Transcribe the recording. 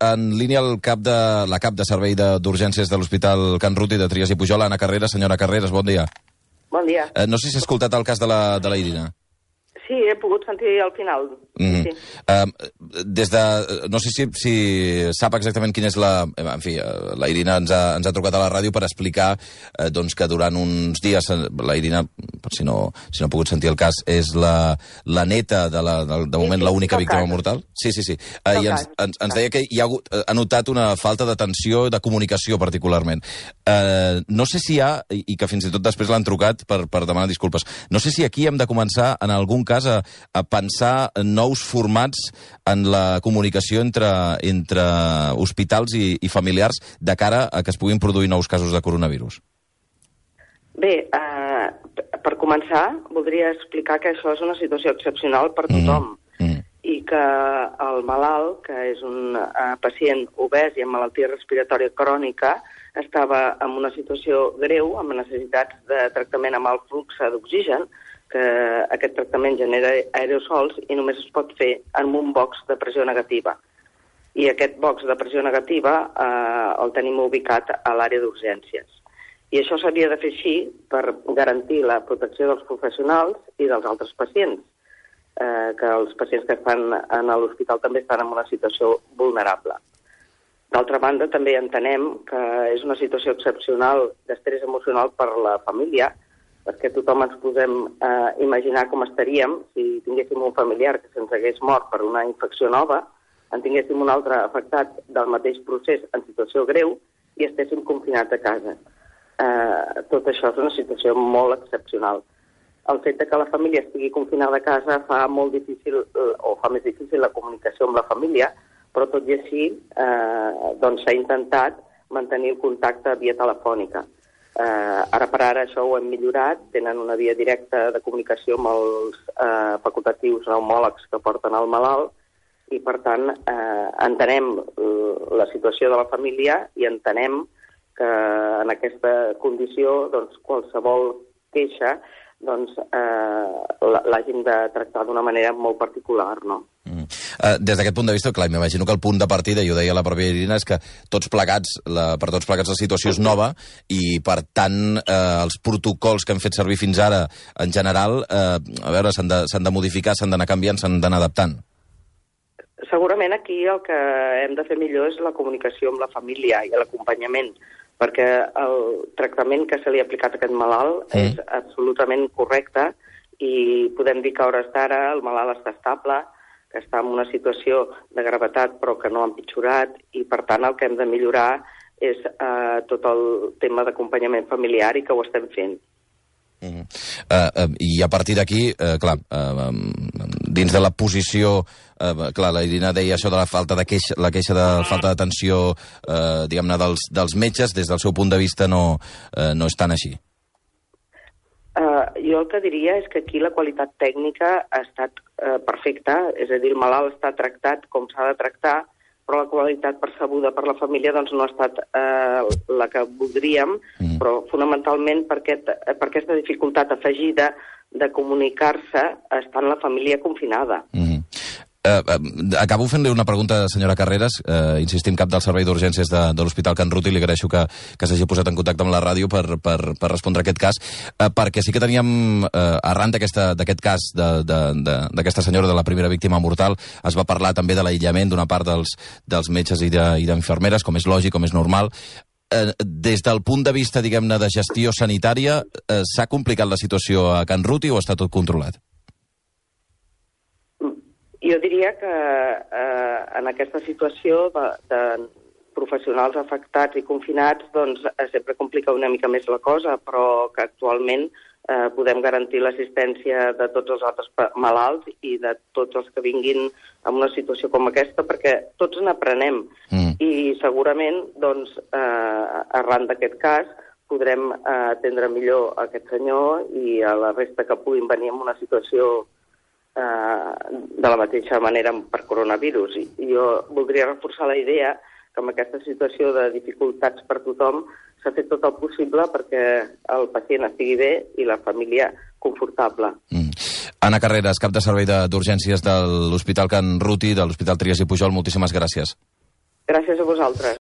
en línia la cap de servei d'urgències de l'Hospital Can Ruti de Trias i Pujol, Anna Carreras. Senyora Carreras, bon dia. Bon dia. No sé si ha escoltat el cas de la Irina. Sí, he pogut sentir al final. Sí. No sé si sap exactament quina és la... En fi, la Irina ens ha trucat a la ràdio per explicar doncs, que durant uns dies la Irina, per si no ha pogut sentir el cas, és la neta de moment l'única víctima mortal. Sí. I ens deia que ha notat una falta d'atenció i de comunicació particularment. No sé si hi ha, i que fins i tot després l'han trucat per demanar disculpes, no sé si aquí hem de començar en algun cas a pensar nous formats en la comunicació entre hospitals i familiars de cara a que es puguin produir nous casos de coronavirus. Bé, per començar, voldria explicar que això és una situació excepcional per tothom i que el malalt, que és un pacient obès i amb malaltia respiratòria crònica, estava en una situació greu, amb necessitats de tractament amb alt flux d'oxigen, que aquest tractament genera aerosols i només es pot fer en un box de pressió negativa. I aquest box de pressió negativa el tenim ubicat a l'àrea d'urgències. I això s'havia de fer així per garantir la protecció dels professionals i dels altres pacients, que els pacients que estan a l'hospital també estan en una situació vulnerable. D'altra banda, també entenem que és una situació excepcional d'estrès emocional per la família, perquè tothom ens posem a imaginar com estaríem si tinguéssim un familiar que se'ns hagués mort per una infecció nova, en tinguéssim un altre afectat del mateix procés en situació greu i estéssim confinats a casa. Tot això és una situació molt excepcional. El fet que la família estigui confinada a casa fa molt difícil, o fa més difícil la comunicació amb la família, però tot i així s'ha intentat mantenir el contacte via telefònica. Ara per ara això ho hem millorat, tenen una via directa de comunicació amb els facultatius pneumòlegs que porten el malalt i per tant entenem la situació de la família i entenem que en aquesta condició qualsevol queixa l'hagin de tractar d'una manera molt particular, no? Des d'aquest punt de vista, clar, m'imagino que el punt de partida, i ho deia la pròpia Irina, és que per tots plegats la situació és nova i, per tant, els protocols que hem fet servir fins ara, en general, s'han de modificar, s'han d'anar canviant, s'han d'anar adaptant. Segurament aquí el que hem de fer millor és la comunicació amb la família i l'acompanyament, perquè el tractament que se li ha aplicat a aquest malalt és absolutament correcte i podem dir que a hores d'ara el malalt està estable, que està en una situació de gravetat però que no ha empitjorat i per tant el que hem de millorar és tot el tema d'acompanyament familiar i que ho estem fent. I a partir d'aquí, clar, dins de la posició, clar, la Irina deia això de la queixa de falta d'atenció, diguem-ne, dels metges, des del seu punt de vista no és tan així. Jo el que diria és que aquí la qualitat tècnica ha estat perfecta, és a dir, el malalt està tractat com s'ha de tractar, però la qualitat percebuda per la família no ha estat la que voldríem, però fonamentalment per aquesta dificultat afegida de comunicar-se estant la família confinada. Acabo fent-li una pregunta, senyora Carreras, insistim, cap del servei d'urgències de l'Hospital Can Ruti, li agraeixo que s'hagi posat en contacte amb la ràdio per respondre a aquest cas, perquè sí que teníem, arran d'aquest cas d'aquesta senyora, de la primera víctima mortal, es va parlar també de l'aïllament d'una part dels metges i d'infermeres, com és lògic, com és normal. Des del punt de vista, diguem-ne, de gestió sanitària, s'ha complicat la situació a Can Ruti o està tot controlat? Jo diria que en aquesta situació de professionals afectats i confinats sempre complica una mica més la cosa, però que actualment podem garantir l'assistència de tots els altres malalts i de tots els que vinguin en una situació com aquesta, perquè tots n'aprenem i segurament arran d'aquest cas podrem atendre millor aquest senyor i a la resta que puguin venir en una situació de la mateixa manera per coronavirus. I jo voldria reforçar la idea que en aquesta situació de dificultats per tothom s'ha fet tot el possible perquè el pacient estigui bé i la família confortable. Anna Carreras, cap de servei d'urgències de l'Hospital Can Ruti, de l'Hospital Trias i Pujol, moltíssimes gràcies. Gràcies a vosaltres.